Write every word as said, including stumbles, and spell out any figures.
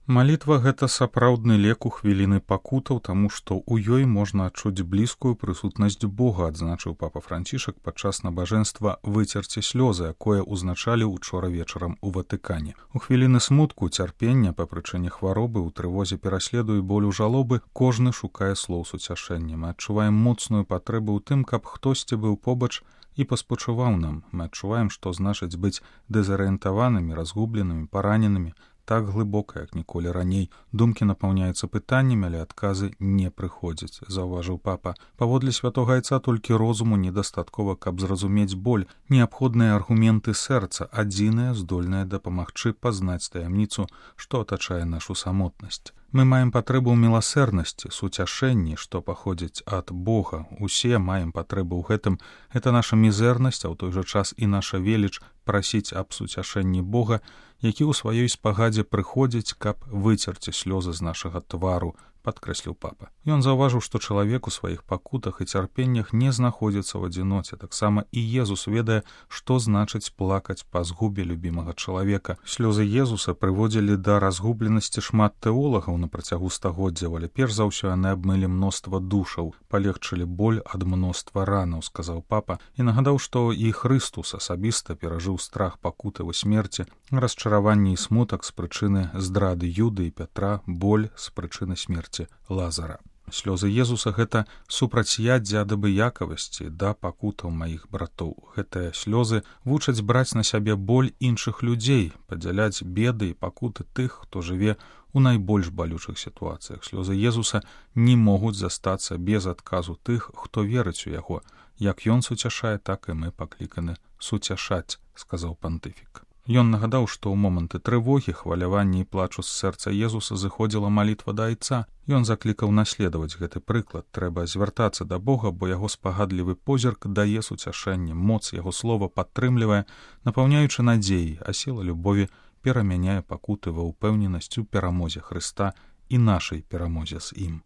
Малітва — гэта сапраўдны лек у хвіліны пакутаў, таму што ў ёй можна адчуць блізкую прысутнасць Бога, адзначыў папа Францішак падчас набажэнства «Выцерці слёзы», якое ўзначаліў учора вечарам у Ватыкане. У хвіліны смутку, цярпення па прычыне хваробы, у трывозе пераследу і болю жалобы кожны шукае слоў суцяшэння. Мы адчуваем моцную патрэбу ў тым, каб хтосьці быў побач і паспачуваў нам. Мы адчуваем, што значыць быць дэзарыентаванымі, разгубленымі, параненымі, так глыбока, як ніколі раней. Думкі напаўняюцца пытаннямі, але адказы не прыходзяць, заўважыў папа. Паводле святога айца толькі розуму недастаткова, каб зразумець боль. Неабходныя аргументы сэрца, адзіныя, здольныя дапамагчы пазнаць таямніцу, што атачае нашу самотнасць. Мы маем патрэбу ў міласэрнасці, суцяшэнні, што паходзіць ад Бога. Усе маем патрэбу ў гэтым. Гэта наша мізэрнасць, а ў той жа час і наша веліч прасіць аб суцяшэнні Бога, які ў сваёй спагадзе прыходзіць, каб выцерці слёзы з нашага твару, падкрэсліў папа. Ён заўважыў, што чалавек у сваіх пакутах і цярпеннях не знаходзіцца ў адзіноце. Таксама і Езус ведае, што значыць плакаць па згубе любімага чалавека. Слёзы Езуса прыводзілі да разгубленасці шмат тэолагаў на працягу стагоддзяў, але перш за ўсё яны абмылі мноства душаў, палегчылі боль ад мноства ранаў, сказаў папа, і нагадаў, што і Хрыстус асабіста перажыў страх пакуты ў смерці, расчараванне і смутак з прычыны здрады Юды і Пятра, боль з прычыны смерці Лазара. Слёзы Езуса — гэта супрацьяддзе ад абыякавасці да пакутаў маіх братоў. Гэтыя слёзы вучаць браць на сябе боль іншых людзей, падзяляць беды і пакуты тых, хто жыве у найбольш балючых сітуацыях. Слёзы Езуса не могуць застацца без адказу тых, хто верыць у яго. Як ён суцяшае, так і мы пакліканы суцяшаць, сказаў пантыфік. Ён нагадаў, што ў моманты трывогі, хвалявання і плачу з сэрца Езуса зыходзіла малітва да айца. Ён заклікаў наследаваць гэты прыклад. Трэба звяртацца да Бога, бо яго спагадлівы позірк дае суцяшэнне, моц яго слова падтрымлівае, напаўняючы надзеяй, а сіла любові перамяняе пакуты ва ўпэўненасць у перамозе Хрыста і нашай перамозе з ім.